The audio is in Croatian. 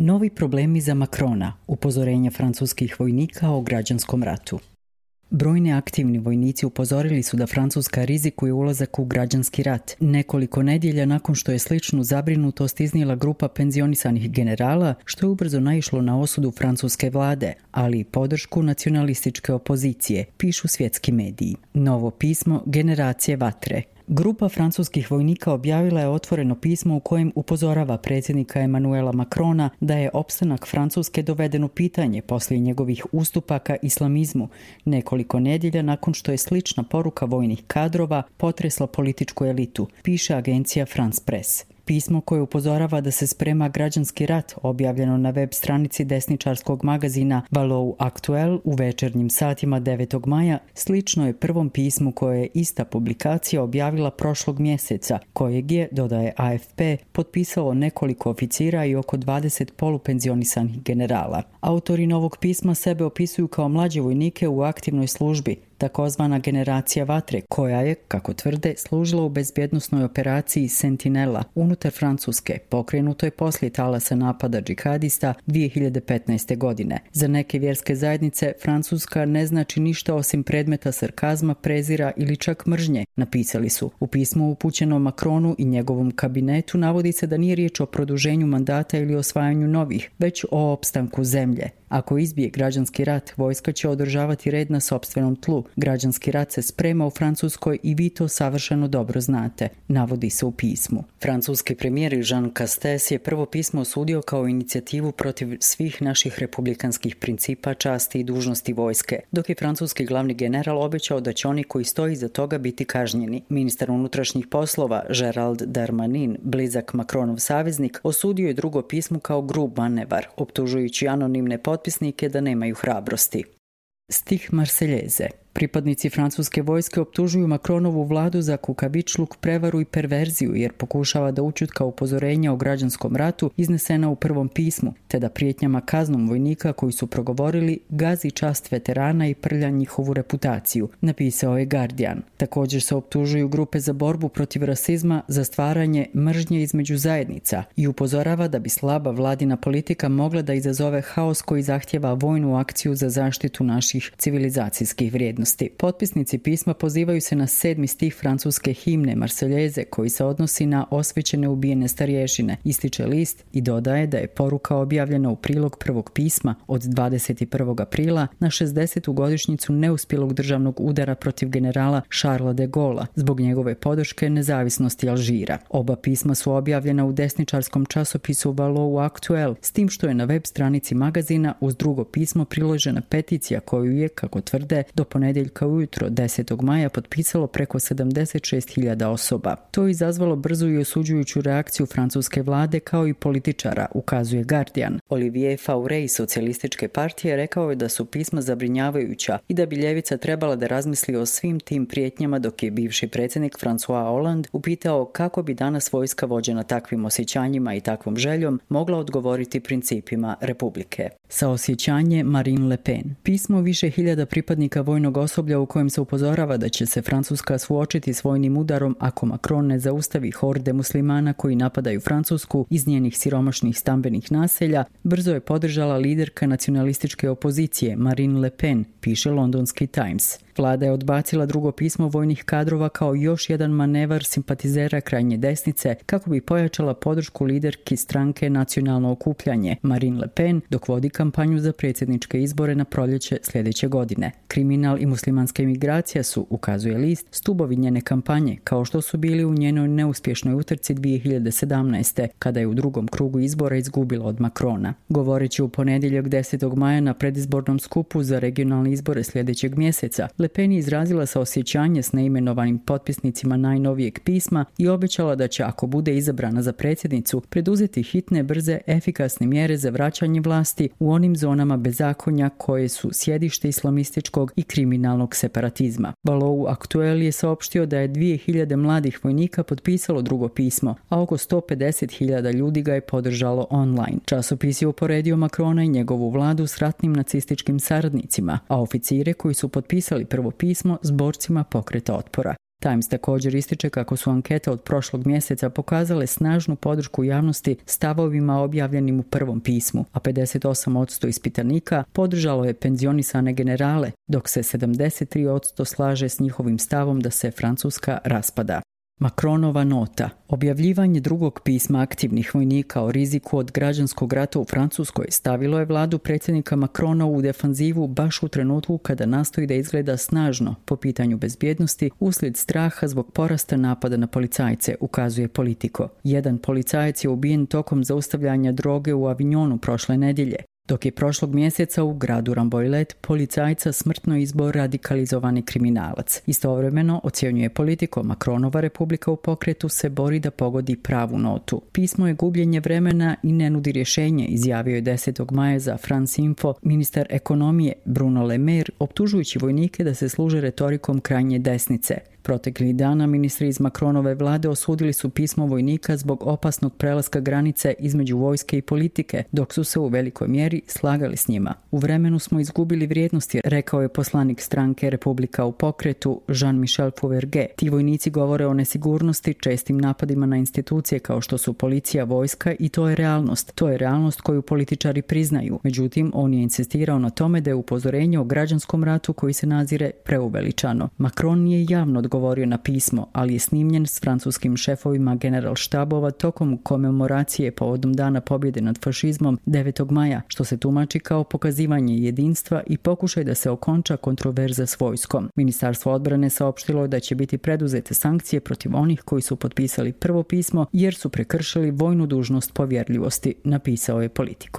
Novi problemi za Macrona, upozorenja francuskih vojnika o građanskom ratu. Brojni aktivni vojnici upozorili su da Francuska rizikuje ulazak u građanski rat. Nekoliko nedjelja nakon što je sličnu zabrinutost iznijela grupa penzionisanih generala, što je ubrzo naišlo na osudu francuske vlade, ali i podršku nacionalističke opozicije, pišu svjetski mediji. Novo pismo Generacije vatre. Grupa francuskih vojnika objavila je otvoreno pismo u kojem upozorava predsjednika Emmanuela Macrona da je opstanak Francuske doveden u pitanje poslije njegovih ustupaka islamizmu, nekoliko nedjelja nakon što je slična poruka vojnih kadrova potresla političku elitu, piše agencija France Press. Pismo koje upozorava da se sprema građanski rat, objavljeno na web stranici desničarskog magazina Valou Actuel u večernjim satima 9. maja, slično je prvom pismu koje je ista publikacija objavila prošlog mjeseca, kojeg je, dodaje AFP, potpisalo nekoliko oficira i oko 20 polupenzionisanih generala. Autori novog pisma sebe opisuju kao mlađe vojnike u aktivnoj službi, takozvana generacija vatre, koja je, kako tvrde, služila u bezbjednosnoj operaciji Sentinela unutar Francuske, pokrenutoj poslije talasa napada džihadista 2015. godine. Za neke vjerske zajednice Francuska ne znači ništa osim predmeta sarkazma, prezira ili čak mržnje, napisali su. U pismu upućenom Macronu i njegovom kabinetu navodi se da nije riječ o produženju mandata ili osvajanju novih, već o opstanku zemlje. Ako izbije građanski rat, vojska će održavati red na sopstvenom tlu. Građanski rat se sprema u Francuskoj i vi to savršeno dobro znate, navodi se u pismu. Francuski premijer Jean Castex je prvo pismo osudio kao inicijativu protiv svih naših republikanskih principa, časti i dužnosti vojske, dok je francuski glavni general obećao da će oni koji stoji iza toga biti kažnjeni. Ministar unutrašnjih poslova Gérald Darmanin, blizak Macronov saveznik, osudio je drugo pismo kao grub manevar, optužujući anonimne potpisnike da nemaju hrabrosti. Stih Marseljeze. Pripadnici francuske vojske optužuju Macronovu vladu za kukavičluk, prevaru i perverziju jer pokušava da ućutka upozorenja o građanskom ratu iznesena u prvom pismu, te da prijetnjama kaznom vojnika koji su progovorili gazi čast veterana i prlja njihovu reputaciju, napisao je Guardian. Također se optužuju grupe za borbu protiv rasizma za stvaranje mržnje između zajednica i upozorava da bi slaba vladina politika mogla da izazove haos koji zahtjeva vojnu akciju za zaštitu naših civilizacijskih vrijednosti. Potpisnici pisma pozivaju se na 7. stih francuske himne Marseljeze koji se odnosi na osvećene ubijene starješine, ističe list i dodaje da je poruka objavljena u prilog prvog pisma od 21. aprila na 60. godišnjicu neuspjelog državnog udara protiv generala Charlesa de Gaulle'a zbog njegove podrške nezavisnosti Alžira. Oba pisma su objavljena u desničarskom časopisu Valou Actuel, s tim što je na web stranici magazina uz drugo pismo priložena peticija koju je, kako tvrde, do ponedjeljka ujutro 10. maja potpisalo preko 76.000 osoba. To je izazvalo brzu i osuđujuću reakciju francuske vlade kao i političara, ukazuje Guardian. Olivier Faure iz socijalističke partije rekao je da su pisma zabrinjavajuća i da bi ljevica trebala da razmisli o svim tim prijetnjama, dok je bivši predsjednik François Hollande upitao kako bi danas vojska vođena takvim osjećanjima i takvom željom mogla odgovoriti principima republike. Saosjećanje Marine Le Pen. Pismo više hiljada pripadnika vojnog osoblja u kojem se upozorava da će se Francuska suočiti s vojnim udarom ako Macron ne zaustavi horde muslimana koji napadaju Francusku iz njenih siromašnih stambenih naselja, brzo je podržala liderka nacionalističke opozicije Marine Le Pen, piše londonski Times. Vlada je odbacila drugo pismo vojnih kadrova kao još jedan manevar simpatizera krajnje desnice kako bi pojačala podršku liderki stranke Nacionalno okupljanje Marine Le Pen dok vodi kampanju za predsjedničke izbore na proljeće sljedeće godine. Kriminal i muslimanska imigracija su, ukazuje list, stubovi njene kampanje, kao što su bili u njenoj neuspješnoj utrci 2017. kada je u drugom krugu izbora izgubila od Macrona. Govoreći u ponedjeljak 10. maja na predizbornom skupu za regionalne izbore sljedećeg mjeseca, Le Pen je izrazila saosjećanje s neimenovanim potpisnicima najnovijeg pisma i obećala da će, ako bude izabrana za predsjednicu, preduzeti hitne, brze, efikasne mjere za vraćanje vlasti u onim zonama bezakonja koje su sjedište islamističkog i kriminalnog separatizma. Valou Actuel je saopštio da je 2000 mladih vojnika potpisalo drugo pismo, a oko 150.000 ljudi ga je podržalo online. Časopis je uporedio Macrona i njegovu vladu s ratnim nacističkim saradnicima, a oficire koji su potpisali prvo pismo s borcima pokreta otpora. Times također ističe kako su ankete od prošlog mjeseca pokazale snažnu podršku javnosti stavovima objavljenim u prvom pismu, a 58% ispitanika podržalo je penzionisane generale, dok se 73% slaže s njihovim stavom da se Francuska raspada. Macronova nota. Objavljivanje drugog pisma aktivnih vojnika o riziku od građanskog rata u Francuskoj stavilo je vladu predsjednika Macrona u defanzivu baš u trenutku kada nastoji da izgleda snažno po pitanju bezbjednosti uslijed straha zbog porasta napada na policajce, ukazuje Politico. Jedan policajac je ubijen tokom zaustavljanja droge u Avignonu prošle nedjelje, dok je prošlog mjeseca u gradu Rambouillet policajca smrtno izbio radikalizovani kriminalac. Istovremeno, ocjenjuje Politico, Macronova Republika u pokretu se bori da pogodi pravu notu. Pismo je gubljenje vremena i ne nudi rješenje, izjavio je 10. maja za France Info ministar ekonomije Bruno Le Maire, optužujući vojnike da se služe retorikom krajnje desnice. Proteklih dana ministri iz Macronove vlade osudili su pismo vojnika zbog opasnog prelaska granice između vojske i politike, dok su se u velikoj mjeri slagali s njima. U vremenu smo izgubili vrijednosti, rekao je poslanik stranke Republika u pokretu Jean-Michel Fauvergue. Ti vojnici govore o nesigurnosti, čestim napadima na institucije kao što su policija, vojska i to je realnost. To je realnost koju političari priznaju. Međutim, on je insistirao na tome da je upozorenje o građanskom ratu koji se nazire preuveličano. Macron nije javno odgovorio na pismo, ali je snimljen s francuskim šefovima generalštabova tokom komemoracije povodom dana pobjede nad fašizmom 9. maja, što se tumači kao pokazivanje jedinstva i pokušaj da se okonča kontroverza s vojskom. Ministarstvo odbrane saopštilo je da će biti preduzete sankcije protiv onih koji su potpisali prvo pismo jer su prekršili vojnu dužnost povjerljivosti, napisao je Politico.